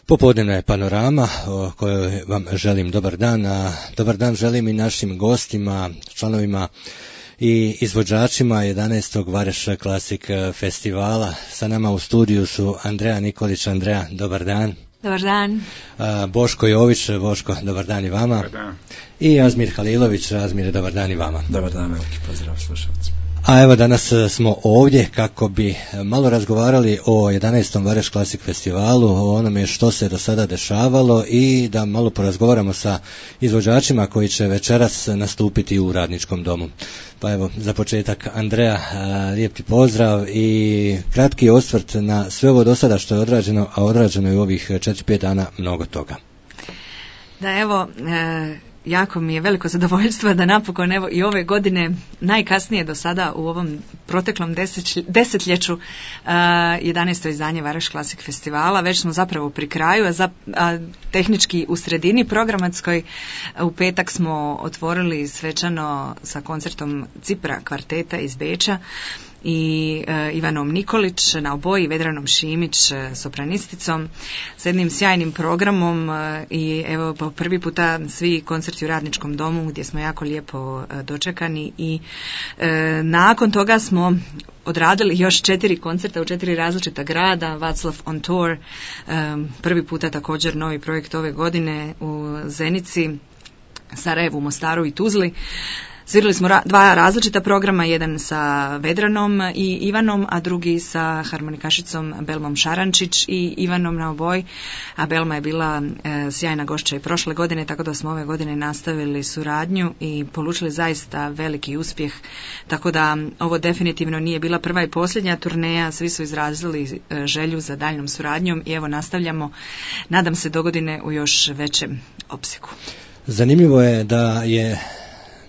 Popodnevna je panorama o kojoj vam želim dobar dan, a dobar dan želim i našim gostima, članovima i izvođačima 11. Vareš Classic festivala. Sa nama u studiju su Andreja Nikolić. Andreja, dobar dan. Dobar dan. Boško Jović. Boško, dobar dan i vama. Dobar dan. I Azmir Halilović. Azmir, dobar dan i vama. Dobar dan, veliki pozdrav slušalcima. A evo danas smo ovdje kako bi malo razgovarali o 11. Vareš Classic festivalu, o onome što se do sada dešavalo i da malo porazgovaramo sa izvođačima koji će večeras nastupiti u Radničkom domu. Pa evo, za početak, Andreja, lijep ti pozdrav i kratki osvrt na sve ovo do sada što je odrađeno, a odrađeno je u ovih 4-5 dana mnogo toga. Da, evo, jako mi je veliko zadovoljstvo da napokon evo i ove godine najkasnije do sada u ovom proteklom desetljeću 11. izdanje Vareš Classic festivala. Već smo zapravo pri kraju, a tehnički u sredini programatskoj. U petak smo otvorili svečano sa koncertom Cipra kvarteta iz Beča i Ivanom Nikolić na oboji, Vedranom Šimić sopranisticom, s jednim sjajnim programom i evo po prvi puta svi koncerti u Radničkom domu gdje smo jako lijepo dočekani i nakon toga smo odradili još 4 koncerta u 4 različita grada, Václav on Tour, prvi puta također novi projekt ove godine u Zenici, Sarajevu, Mostaru i Tuzli. Svirali smo 2 različita programa, jedan sa Vedranom i Ivanom, a drugi sa harmonikašicom Belmom Šarančić i Ivanom na oboji, a Belma je bila sjajna gošća i prošle godine, tako da smo ove godine nastavili suradnju i polučili zaista veliki uspjeh, tako da ovo definitivno nije bila prva i posljednja turneja, svi su izrazili želju za daljnjom suradnjom i evo nastavljamo, nadam se dogodine u još većem opsegu. Zanimljivo je da je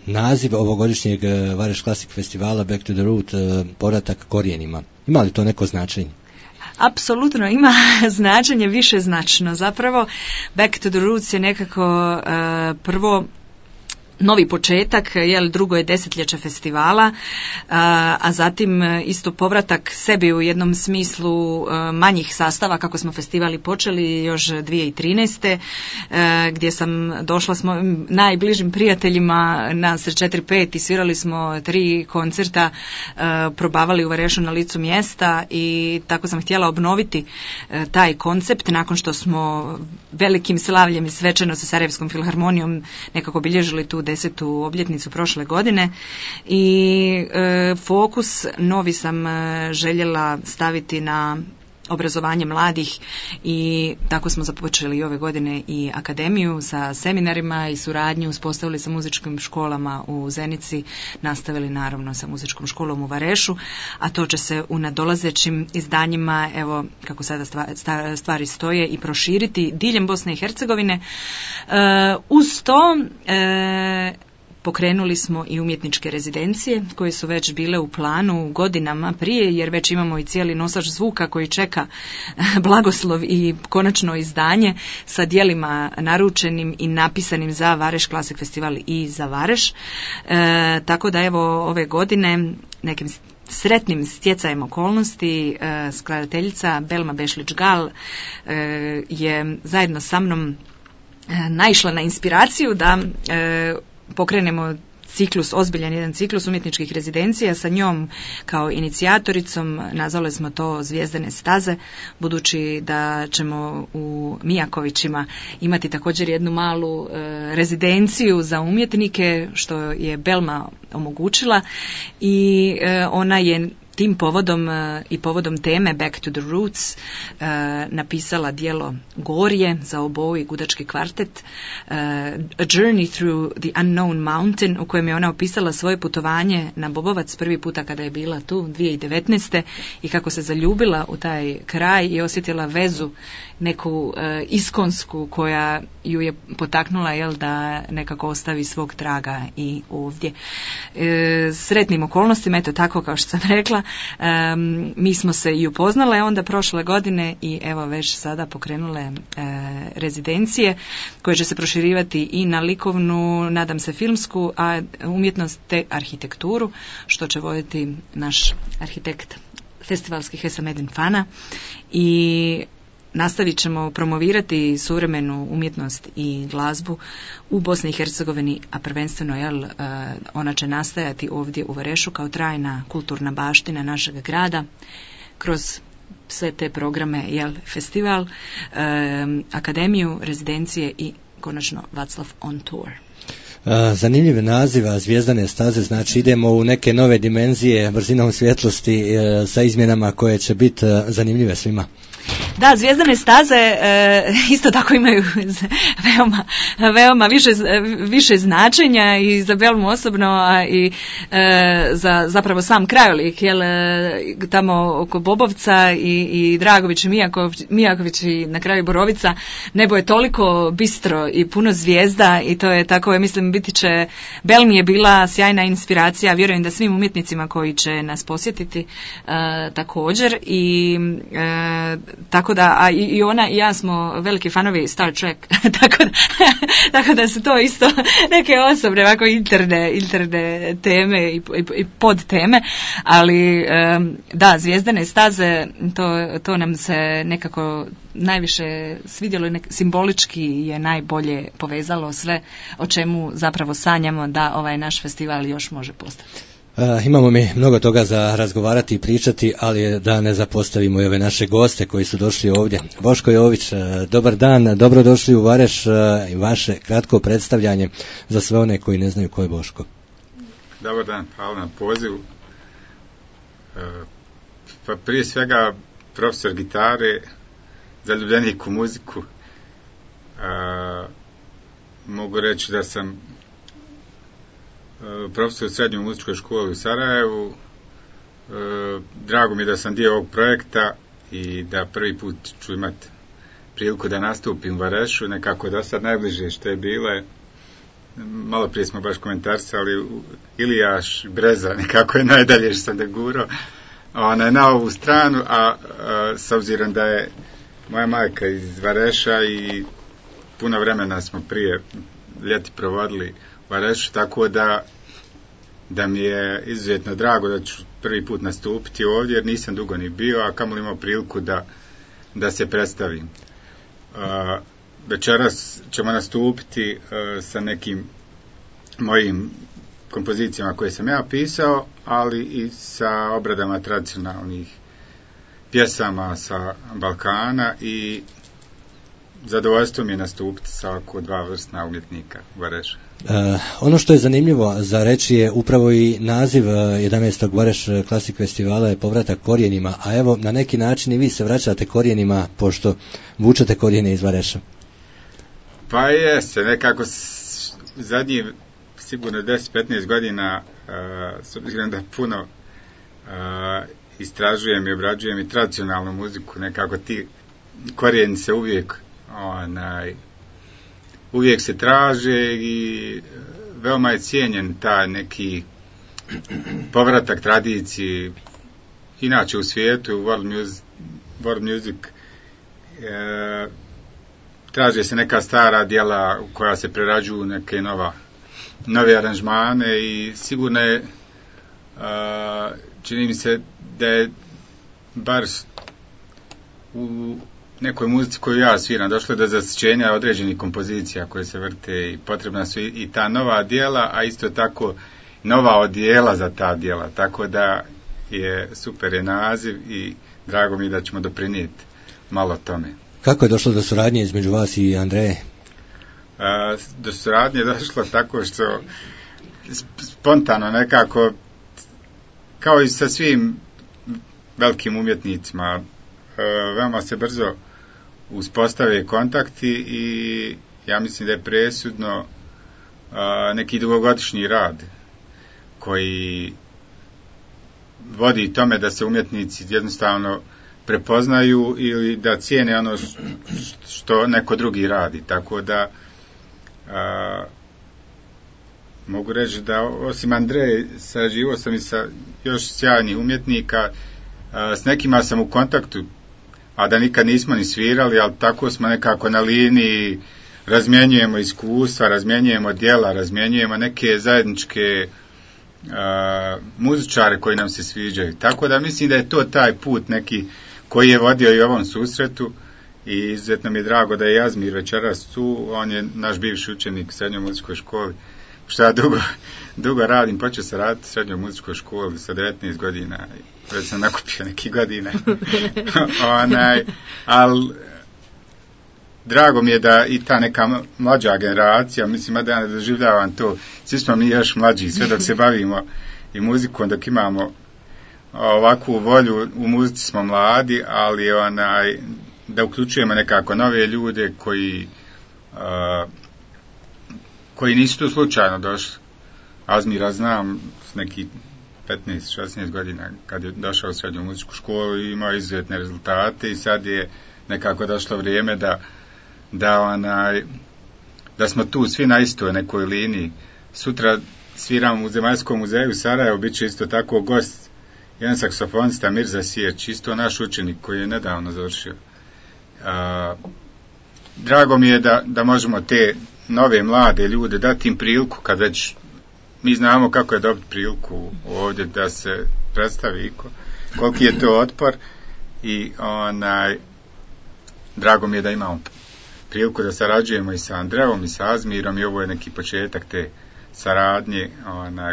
naziv ovogodišnjeg Vareš Classic festivala Back to the Root, povratak korijenima. Ima li to neko značenje? Apsolutno ima značenje višeznačno. Zapravo Back to the Roots je nekako prvo novi početak, drugo je desetljeće festivala, a zatim isto povratak sebi u jednom smislu manjih sastava kako smo festivali počeli još 2013. Gdje sam došla s mojim najbližim prijateljima nas 4-5 i svirali smo 3 koncerta, probavali u Varešu na licu mjesta i tako sam htjela obnoviti taj koncept nakon što smo velikim slavljem i svečano sa Sarajevskom filharmonijom nekako bilježili tu 10. obljetnicu prošle godine i fokus novi sam željela staviti na obrazovanje mladih i tako smo započeli ove godine i akademiju sa seminarima i suradnju, uspostavili sa muzičkim školama u Zenici, nastavili naravno sa muzičkom školom u Varešu, a to će se u nadolazećim izdanjima, evo kako sada stvari stoje, i proširiti diljem Bosne i Hercegovine. Uz to pokrenuli smo i umjetničke rezidencije koje su već bile u planu godinama prije, jer već imamo i cijeli nosač zvuka koji čeka blagoslov i konačno izdanje sa djelima naručenim i napisanim za Vareš Classic festival i za Vareš. Tako da evo ove godine nekim sretnim stjecajem okolnosti skladateljica Belma Bešlić-Gal je zajedno sa mnom naišla na inspiraciju da pokrenemo ciklus, ozbiljan jedan ciklus umjetničkih rezidencija sa njom kao inicijatoricom. Nazvali smo to Zvijezdane staze, budući da ćemo u Mijakovićima imati također jednu malu rezidenciju za umjetnike, što je Belma omogućila i ona je tim povodom i povodom teme Back to the Roots napisala djelo Gorje za oboju i gudački kvartet, A Journey Through the Unknown Mountain, u kojem je ona opisala svoje putovanje na Bobovac prvi puta kada je bila tu 2019. i kako se zaljubila u taj kraj i osjetila vezu neku iskonsku koja ju je potaknula da nekako ostavi svog traga i ovdje. Sretnim okolnostima, eto tako kao što sam rekla, mi smo se i upoznale onda prošle godine i evo već sada pokrenule rezidencije koje će se proširivati i na likovnu, nadam se filmsku, a umjetnost te arhitekturu, što će voditi naš arhitekt festivalski Hesa Medin Fana. I nastavit ćemo promovirati suvremenu umjetnost i glazbu u Bosni i Hercegovini, a prvenstveno ona će nastajati ovdje u Varešu kao trajna kulturna baština našeg grada kroz sve te programe, festival, akademiju, rezidencije i konačno Vaclav on tour. Zanimljiv naziv Zvijezdane staze, znači idemo u neke nove dimenzije brzinom svjetlosti sa izmjenama koje će biti zanimljive svima. Da, Zvijezdane staze isto tako imaju veoma više značenja i za Belmu osobno, a i za zapravo sam krajolik, tamo oko Bobovca i Dragović i Mijaković i na kraju Borovica, nebo je toliko bistro i puno zvijezda i to je tako, ja mislim, biti će, Belmi je bila sjajna inspiracija, vjerujem da svim umjetnicima koji će nas posjetiti također i tako da, a i ona i ja smo veliki fanovi Star Trek, tako da su to isto neke osobne, ovako interne teme i podteme, ali da, Zvijezdane staze, to nam se nekako najviše svidjelo i simbolički je najbolje povezalo sve o čemu zapravo sanjamo da ovaj naš festival još može postati. Imamo mi mnogo toga za razgovarati i pričati, ali da ne zapostavimo i ove naše goste koji su došli ovdje. Boško Jović, dobar dan, dobrodošli u Vareš i vaše kratko predstavljanje za sve one koji ne znaju ko je Boško. Dobar dan, hvala na pozivu. Pa prije svega profesor gitare, zaljubljenik u muziku. Mogu reći da sam profesor u srednjoj muzičkoj školi u Sarajevu. Drago mi je da sam dio ovog projekta i da prvi put ću imati priliku da nastupim u Varešu, nekako do sad najbliže što je bilo. Malo prije smo baš komentarisali Ilijaš, Breza, nekako je najdalje što sam da gurao na ovu stranu, a s obzirom da je moja majka iz Vareša i puno vremena smo prije ljeti provodili u Varešu, tako da mi je izuzetno drago da ću prvi put nastupiti ovdje, jer nisam dugo ni bio, a kamoli imao priliku da se predstavim. Večeras ćemo nastupiti sa nekim mojim kompozicijama koje sam ja pisao, ali i sa obradama tradicionalnih pjesama sa Balkana i zadovoljstvo mi je nastupiti sa oko dva vrstna umjetnika u Varešu. Ono što je zanimljivo za reći je upravo i naziv 11. Vareš Klasik festivala je povratak korijenima, a evo na neki način i vi se vraćate korijenima pošto vučete korijene iz Vareša. Pa jeste, nekako zadnjih sigurno 10-15 godina s obzirom da puno istražujem i obrađujem i tradicionalnu muziku, nekako ti korijeni se uvijek se traže i veoma je cijenjen taj neki povratak tradiciji inače u svijetu, world music, traže se neka stara djela koja se prerađuju neke nove aranžmane i sigurno je čini mi se da je bar u nekoj muzici koju ja sviram došlo do zasićenja određenih kompozicija koje se vrte i potrebna su i ta nova djela, a isto tako nova odjela za ta djela, tako da je super je naziv i drago mi da ćemo doprinijeti malo tome. Kako je došlo do suradnje između vas i Andreje? Do suradnje je došlo tako što spontano nekako, kao i sa svim velikim umjetnicima, veoma se brzo uspostave kontakti i ja mislim da je presudno neki dugogodišnji rad koji vodi tome da se umjetnici jednostavno prepoznaju ili da cijene ono što neko drugi radi, tako da mogu reći da osim Andreje sarađivao sam i sa još sjajnih umjetnika, s nekima sam u kontaktu, a da nikad nismo ni svirali, ali tako smo nekako na liniji, razmjenjujemo iskustva, razmjenjujemo djela, razmjenjujemo neke zajedničke muzičare koji nam se sviđaju. Tako da mislim da je to taj put neki koji je vodio i ovom susretu i izuzetno mi je drago da je Azmir večeras tu. On je naš bivši učenik u srednjoj muzičkoj školi. Što ja dugo radim, počeo sam raditi u srednjoj muzičkoj školi sa 19 godina, već sam nakupio nekih godina. Ali drago mi je da i ta neka mlađa generacija, mislim da ja ne doživljavam to, svi smo mi još mlađi, sve dok se bavimo i muzikom, dok imamo ovakvu volju, u muzici smo mladi, ali da uključujemo nekako nove ljude koji nisu tu slučajno došli. Azmira znam s neki 15-16 godina kad je došao u srednju muzičku školu i imao izuzetne rezultate i sad je nekako došlo vrijeme da smo tu svi na istoj nekoj liniji. Sutra sviramo u Zemaljskom muzeju u Sarajevu, bit će isto tako gost jedan saksofonista Mirza Sijeć, isto naš učenik koji je nedavno završio. Drago mi je da možemo te nove mlade ljude dati im priliku, kad već mi znamo kako je dobiti priliku ovdje da se predstavi koliki je to otpor i drago mi je da imamo priliku da sarađujemo i sa Andreom i sa Azmirom i ovo je neki početak te saradnje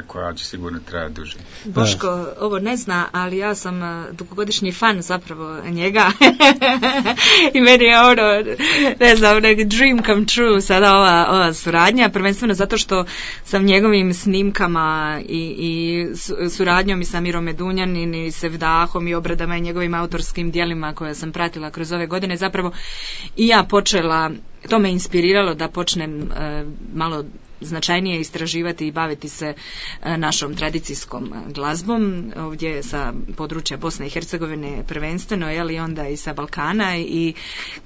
koja će sigurno trajati duže. Boško ovo ne zna, ali ja sam dugogodišnji fan zapravo njega i meni je ne znam, neki dream come true sada ova suradnja, prvenstveno zato što sam njegovim snimkama i suradnjom i sa Mirom Medunjanin i Sevdahom i obradama i njegovim autorskim djelima koje sam pratila kroz ove godine, zapravo i ja počela, to me inspiriralo da počnem malo značajnije istraživati i baviti se našom tradicijskom glazbom ovdje sa područja Bosne i Hercegovine prvenstveno, i onda i sa Balkana, i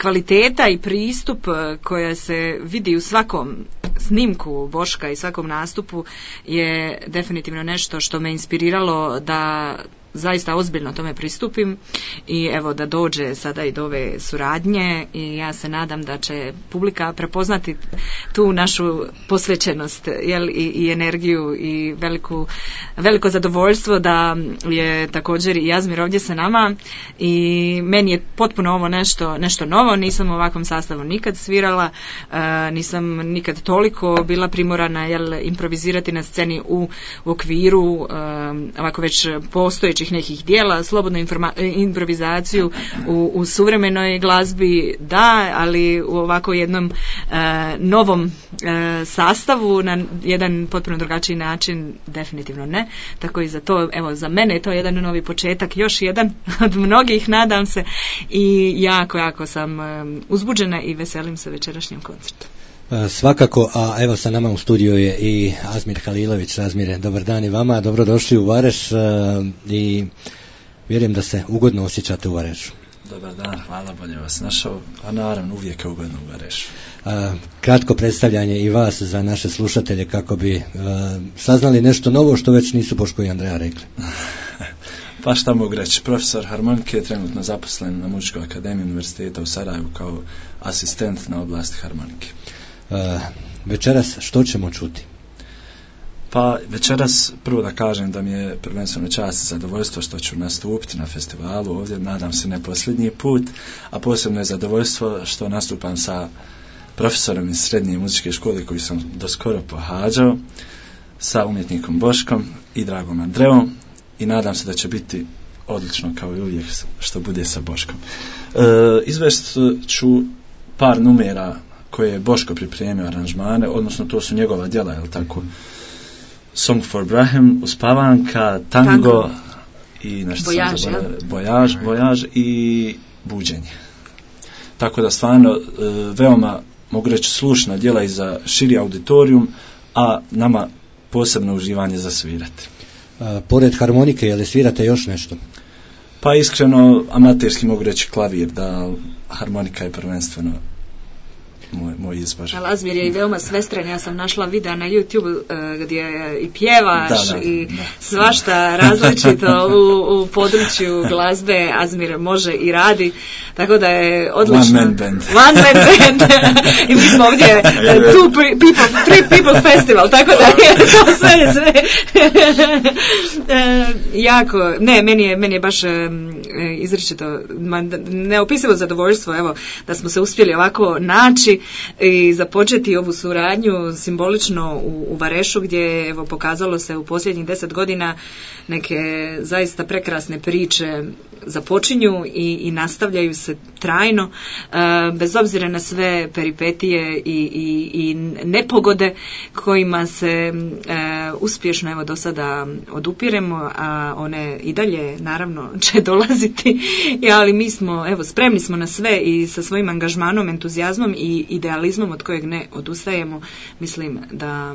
kvaliteta i pristup koja se vidi u svakom snimku Boška i svakom nastupu je definitivno nešto što me inspiriralo da zaista ozbiljno tome pristupim i evo da dođe sada i do ove suradnje i ja se nadam da će publika prepoznati tu našu posvećenost i energiju i veliko zadovoljstvo da je također i Azmir ovdje sa nama i meni je potpuno ovo nešto novo, nisam u ovakvom sastavu nikad svirala, nisam nikad toliko bila primorana improvizirati na sceni u okviru ovako već postojećih nekih dijela, slobodnu improvizaciju u suvremenoj glazbi da, ali u ovako jednom novom sastavu na jedan potpuno drugačiji način definitivno ne, tako i za to, evo za mene je to jedan novi početak, još jedan od mnogih, nadam se, i jako sam uzbuđena i veselim se večerašnjem koncertu. Svakako, a evo sa nama u studiju je i Azmir Halilović. Azmire, dobar dan i vama, dobrodošli u Vareš i vjerujem da se ugodno osjećate u Varešu. Dobar dan, hvala, bolje vas našao, a naravno uvijek je ugodno u Varešu. Kratko predstavljanje i vas za naše slušatelje kako bi saznali nešto novo što već nisu Boško i Andreja rekli. Pa šta mogu reći, profesor harmonike je trenutno zaposlen na Muzičkoj akademiji Univerziteta u Sarajevu kao asistent na oblasti harmonike. Večeras što ćemo čuti? Pa večeras prvo da kažem da mi je prvenstveno čast i zadovoljstvo što ću nastupiti na festivalu ovdje, nadam se ne posljednji put, a posebno je zadovoljstvo što nastupam sa profesorom iz srednje muzičke škole koju sam doskoro pohađao, sa umjetnikom Boškom i dragom Andreom i nadam se da će biti odlično kao i uvijek što bude sa Boškom. Izvest ću par numera koje je Boško pripremio aranžmane, odnosno to su njegova djela, je li tako? Song for Brahim, Uspavanka, Tango i nešto Vojaž i Buđenje. Tako da stvarno veoma, mogu reći, slušna djela i za širi auditorijum, a nama posebno uživanje za svirati. Pored harmonike, je li svirate još nešto? Pa iskreno, amaterski mogu reći klavir, da harmonika je prvenstveno moj izbor. Azmir je i veoma svestran, ja sam našla videa na YouTube gdje i pjevaš svašta različito u području glazbe Azmir može i radi, tako da je odlično. One man band. I mi smo ovdje three people festival, tako da je to sve jako, ne, meni je baš izričito neopisivo zadovoljstvo, evo, da smo se uspjeli ovako naći i započeti ovu suradnju simbolično u Varešu, gdje evo pokazalo se u posljednjih 10 godina neke zaista prekrasne priče započinju i nastavljaju se trajno, bez obzira na sve peripetije i nepogode kojima se uspješno evo do sada odupiremo, a one i dalje naravno će dolaziti, ali mi smo evo spremni smo na sve i sa svojim angažmanom, entuzijazmom i idealizmom od kojeg ne odustajemo, mislim da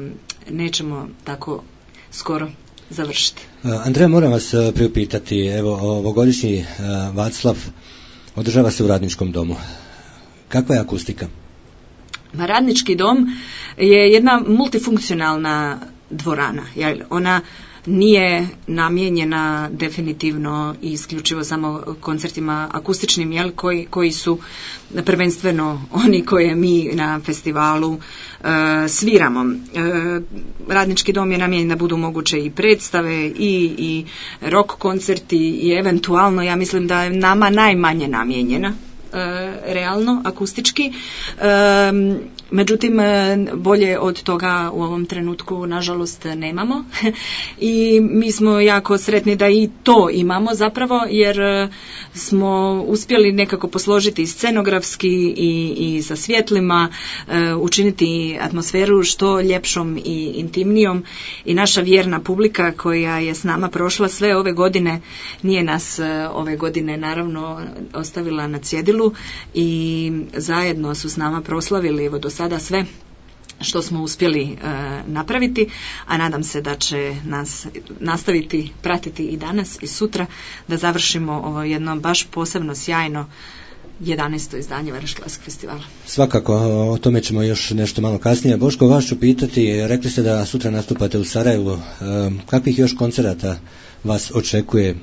nećemo tako skoro završiti. Andreja, moram vas priupitati, evo ovogodišnji Vaclav održava se u Radničkom domu. Kakva je akustika? Radnički dom je jedna multifunkcionalna dvorana. Ona nije namijenjena definitivno i isključivo samo koncertima akustičnim, koji su prvenstveno oni koje mi na festivalu sviramo. Radnički dom je namijenjen da budu moguće i predstave i rock koncerti i eventualno, ja mislim da je nama najmanje namijenjena realno, akustički. Međutim, bolje od toga u ovom trenutku nažalost nemamo i mi smo jako sretni da i to imamo zapravo, jer smo uspjeli nekako posložiti scenografski i sa svjetlima, učiniti atmosferu što ljepšom i intimnijom, i naša vjerna publika koja je s nama prošla sve ove godine, nije nas ove godine naravno ostavila na cjedilu i zajedno su s nama proslavili evo do sada sve što smo uspjeli napraviti, a nadam se da će nas nastaviti pratiti i danas i sutra, da završimo ovo jedno baš posebno sjajno 11. izdanje Vareš Klasik festivala. Svakako, o tome ćemo još nešto malo kasnije. Boško, vas ću pitati, rekli ste da sutra nastupate u Sarajevu, kakvih još koncerata vas očekuje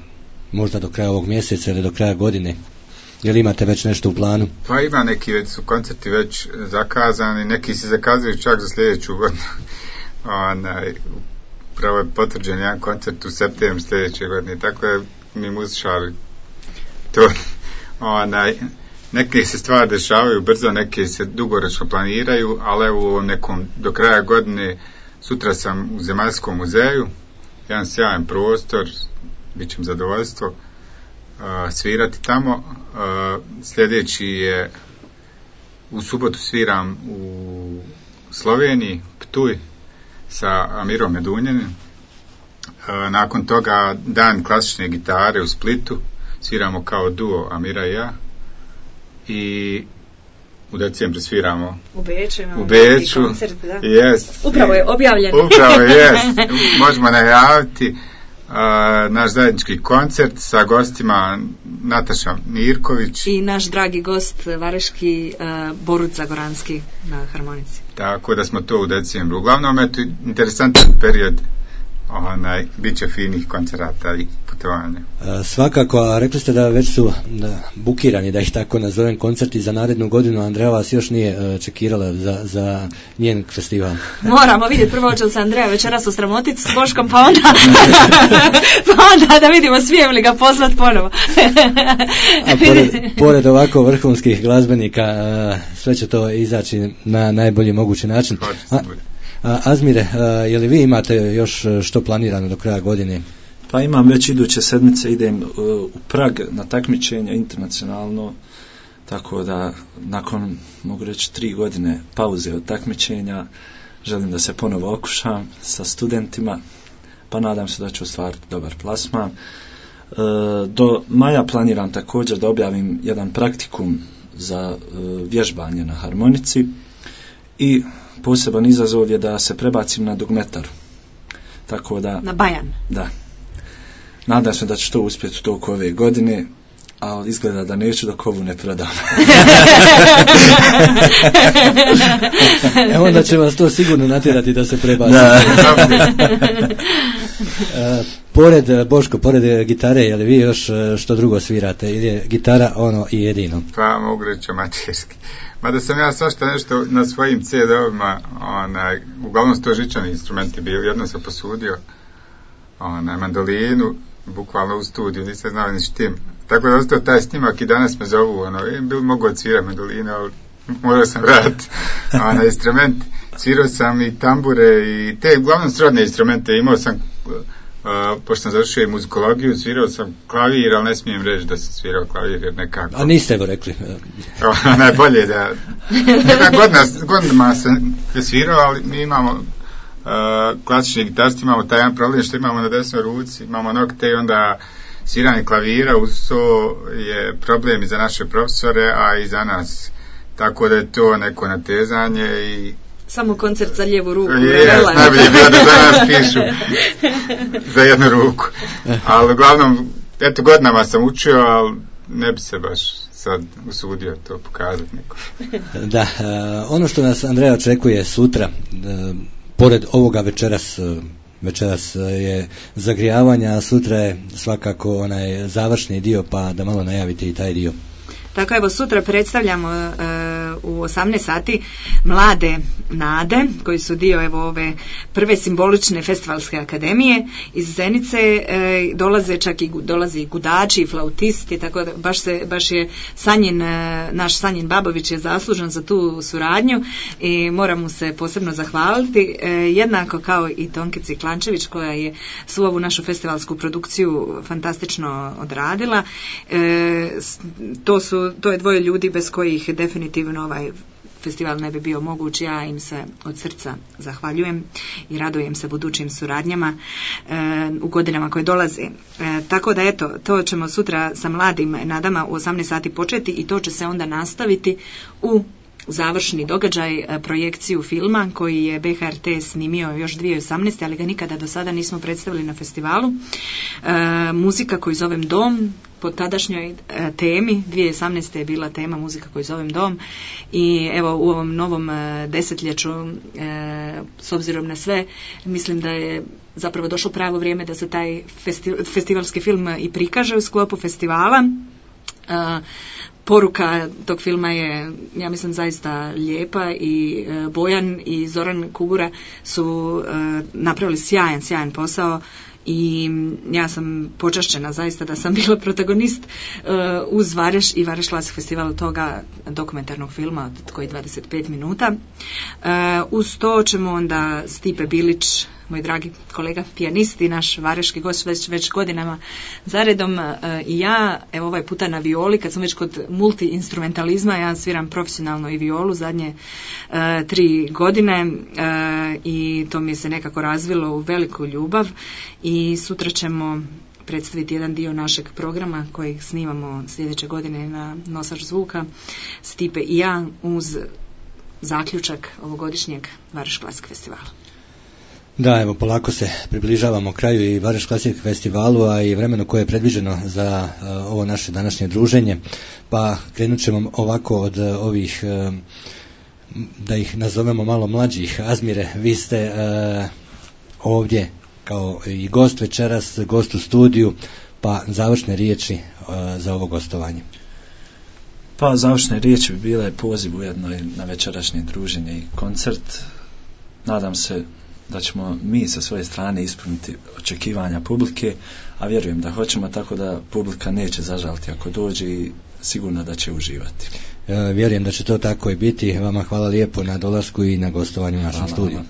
možda do kraja ovog mjeseca ili do kraja godine? Je li imate već nešto u planu? Pa ima neki, već su koncerti već zakazani, neki se zakazaju čak za sljedeću godinu. Pravo je potvrđen jedan koncert u septembru sljedeće godine, tako je mi muzičari to. Neke se stvari dešavaju brzo, neke se dugoročno planiraju, ali evo u nekom do kraja godine sutra sam u Zemaljskom muzeju, jedan sjajan prostor, bit će mi zadovoljstvo svirati tamo. Sljedeći je u subotu sviram u Sloveniji, Ptuj, sa Amirom Medunjanim. Nakon toga dan klasične gitare u Splitu, sviramo kao duo Amira i ja, i u decembru sviramo u Beču. Koncert, da. Yes. Upravo je objavljen. Upravo je, možemo najaviti naš zajednički koncert sa gostima Nataša Mirković i naš dragi gost vareški Borut Zagoranski na harmonici. Tako da smo to u decembru. Uglavnom je to interesantan period, bit će finih koncerata i putovanja. Svakako, a rekli ste da već su bukirani, da ih tako nazovem, koncerti za narednu godinu. Andreja vas još nije čekirala za njen festival. Moramo vidjeti, prvo će se Andreja večeras osramotiti s Boškom, pa onda da vidimo smijem li ga pozvat ponovo. A pored ovako vrhunskih glazbenika, sve će to izaći na najbolji mogući način. Azmire, je li vi imate još što planirano do kraja godine? Pa imam već iduće sedmice, idem u Prag na takmičenje internacionalno, tako da nakon, mogu reći, 3 godine pauze od takmičenja želim da se ponovo okušam sa studentima, pa nadam se da ću ostvariti dobar plasman. Do maja planiram također da objavim jedan praktikum za vježbanje na harmonici i poseban izazov je da se prebacim na dugmetaru. Tako da, na bajan. Da. Nadam se da ću to uspjeti u toku ove godine, ali izgleda da neću dok ovu ne prodam. Evo onda će vas to sigurno natjerati da se prebaci. Boško, pored gitare, je li vi još što drugo svirate ili je gitara ono i jedino? Pa mogu reći amaterski. Mada sam ja svašta nešto na svojim CD-ovima, uglavnom su to žičani instrumenti bili. Jedno sam posudio mandolinu, bukvalno u studiju, nisam znao ni s tim. Tako da ostao taj snimak i danas me zovu, bil mogu odsvirati mandolinu, ali morao sam vratiti instrument. Svirao sam i tambure i te uglavnom srodne instrumente. Imao sam, pošto sam završio i muzikologiju, svirao sam klavir, ali ne smijem reći da sam svirao klavir jer nekako... A niste evo rekli. Najbolje da... Godinama sam svirao, ali mi imamo klasični gitarsti, imamo taj jedan problem što imamo na desnoj ruci, imamo nokte i onda sviranje klavira uz to je problem i za naše profesore, a i za nas. Tako da je to neko natezanje i... Samo koncert za lijevu ruku. Najbolje je bilo da za nas pišu za jednu ruku. Ali uglavnom, eto, godinama sam učio, ali ne bi se baš sad usudio to pokazati neko. Da, ono što nas Andreja očekuje sutra, pored ovoga večeras je zagrijavanja, a sutra je svakako onaj završni dio, pa da malo najavite i taj dio. Tako evo, sutra predstavljamo u 18 sati mlade nade koji su dio evo ove prve simbolične festivalske akademije iz Zenice. Dolazi i gudači i flautisti, tako da baš je naš Sanjin Babović je zaslužan za tu suradnju i moram mu se posebno zahvaliti, jednako kao i Tonkici Klančević koja je svu ovu našu festivalsku produkciju fantastično odradila. To je dvoje ljudi bez kojih definitivno ovaj festival ne bi bio moguć. Ja im se od srca zahvaljujem i radujem se budućim suradnjama u godinama koje dolaze. Tako da eto, to ćemo sutra sa mladim nadama u 18 sati početi i to će se onda nastaviti u završni događaj, projekciju filma koji je BHRT snimio još 2018. ali ga nikada do sada nismo predstavili na festivalu. Muzika koju zovem Dom, po tadašnjoj temi, 2018. je bila tema Muzika koju zovem Dom i evo u ovom novom desetljeću, s obzirom na sve, mislim da je zapravo došlo pravo vrijeme da se taj festivalski film i prikaže u sklopu festivala. Poruka tog filma je, ja mislim, zaista lijepa i Bojan i Zoran Kubura su napravili sjajan posao i ja sam počašćena zaista da sam bila protagonist uz Vareš i Vareš Classic Festival toga dokumentarnog filma koji 25 minuta. Uz to ćemo onda Stipe Bilić, moj dragi kolega pijanist i naš vareški gost već godinama zaredom, i ja, evo ovaj puta na violi, kad sam već kod multi-instrumentalizma, ja sviram profesionalno i violu zadnje 3 godine i to mi se nekako razvilo u veliku ljubav i sutra ćemo predstaviti jedan dio našeg programa kojeg snimamo sljedeće godine na Nosač zvuka, Stipe i ja, uz zaključak ovogodišnjeg Vareš Classic Festivala. Da, evo polako se približavamo kraju i Vareš Classic Festivalu, a i vremenu koje je predviđeno za ovo naše današnje druženje, pa krenut ćemo ovako od ovih, da ih nazovemo malo mlađih. Azmire, vi ste ovdje kao i gost večeras, gost u studiju, pa završne riječi za ovo gostovanje. Pa završne riječi bi bile poziv ujedno na večerašnje druženje i koncert. Nadam se da ćemo mi sa svoje strane ispuniti očekivanja publike, a vjerujem da hoćemo, tako da publika neće zažaliti ako dođe i sigurno da će uživati. Vjerujem da će to tako i biti. Vama hvala lijepo na dolasku i na gostovanju u našem studiju.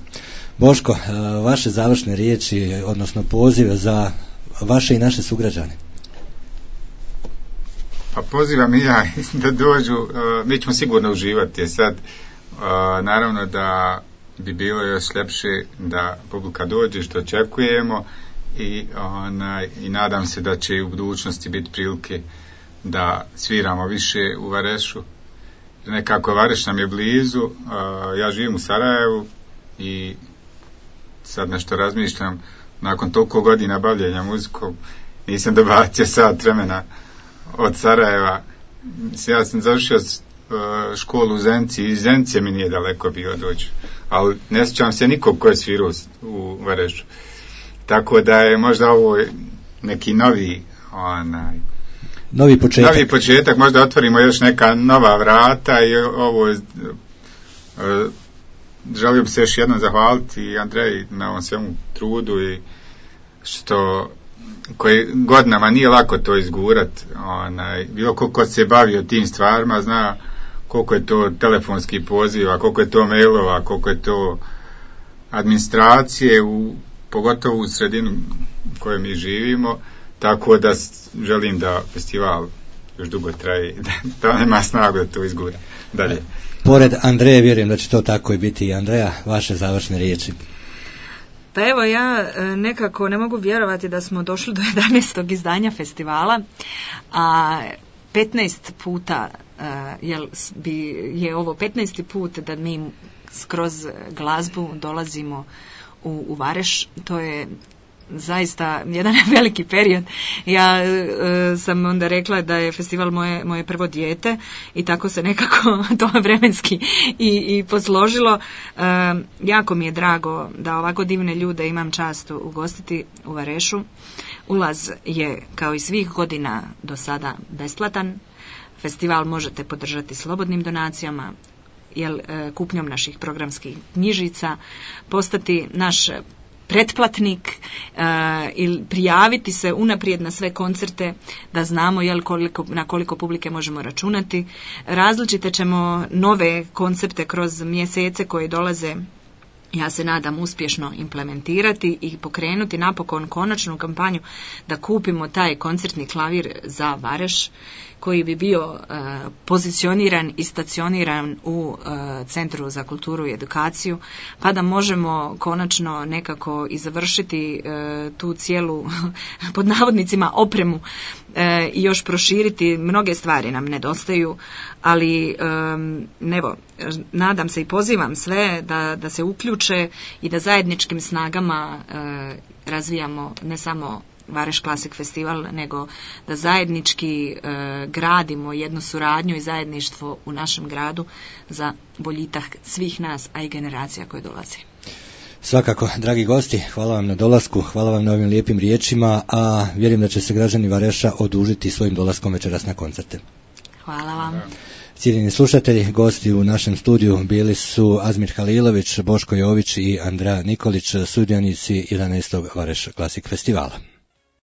Boško, vaše završne riječi, odnosno pozive za vaše i naše sugrađane. Pa pozivam i ja da dođu, mi ćemo sigurno uživati. Sad, naravno da bi bilo još ljepše da publika dođe, što očekujemo, i nadam se da će u budućnosti biti prilike da sviramo više u Varešu. Nekako Vareš nam je blizu, ja živim u Sarajevu i sad nešto razmišljam, nakon toliko godina bavljenja muzikom nisam dobacio sat vremena od Sarajeva. Ja sam završio školu u Zenci i Zence mi nije daleko bilo doći, ali ne sjećam se nikog ko je svirao u Varešu. tako da je možda ovo neki novi početak, možda otvorimo još neka nova vrata i ovo želio bi se još jednom zahvaliti Andreji na ovom svemu trudu i što koji godinama nije lako to izgurat, bilo ko se bavio tim stvarima zna koliko je to telefonski poziva, koliko je to mailova, koliko je to administracije pogotovo u sredinu u kojoj mi živimo, tako da želim da festival još dugo traje, da nema snagu da to izgura dalje. Pored Andreje, vjerujem da će to tako i biti. Andreja, vaše završne riječi. Pa evo, ja nekako ne mogu vjerovati da smo došli do 11. izdanja festivala, a 15 puta je ovo 15. put da mi kroz glazbu dolazimo u Vareš. To je zaista jedan veliki period. Ja sam onda rekla da je festival moje prvo dijete i tako se nekako to vremenski i posložilo. Jako mi je drago da ovako divne ljude imam čast ugostiti u Varešu. Ulaz je kao i svih godina do sada besplatan. Festival možete podržati slobodnim donacijama, kupnjom naših programskih knjižica, postati naš pretplatnik ili prijaviti se unaprijed na sve koncerte da znamo na koliko publike možemo računati. Različite ćemo nove koncepte kroz mjesece koje dolaze, ja se nadam, uspješno implementirati i pokrenuti napokon konačnu kampanju da kupimo taj koncertni klavir za Vareš koji bi bio pozicioniran i stacioniran u Centru za kulturu i edukaciju, pa da možemo konačno nekako i završiti tu cijelu, pod navodnicima, opremu i još proširiti. Mnoge stvari nam nedostaju, ali evo, nadam se i pozivam sve da se uključe i da zajedničkim snagama razvijamo ne samo Vareš Classic Festival, nego da zajednički gradimo jednu suradnju i zajedništvo u našem gradu za boljitak svih nas, a i generacija koje dolaze. Svakako, dragi gosti, hvala vam na dolasku, hvala vam na ovim lijepim riječima, a vjerujem da će se građani Vareša odužiti svojim dolaskom večeras na koncerte. Hvala vam. Cijenjeni slušatelji, gosti u našem studiju bili su Azmir Halilović, Boško Jović i Andreja Nikolić, sudionici 11. Vareš Classic Festivala.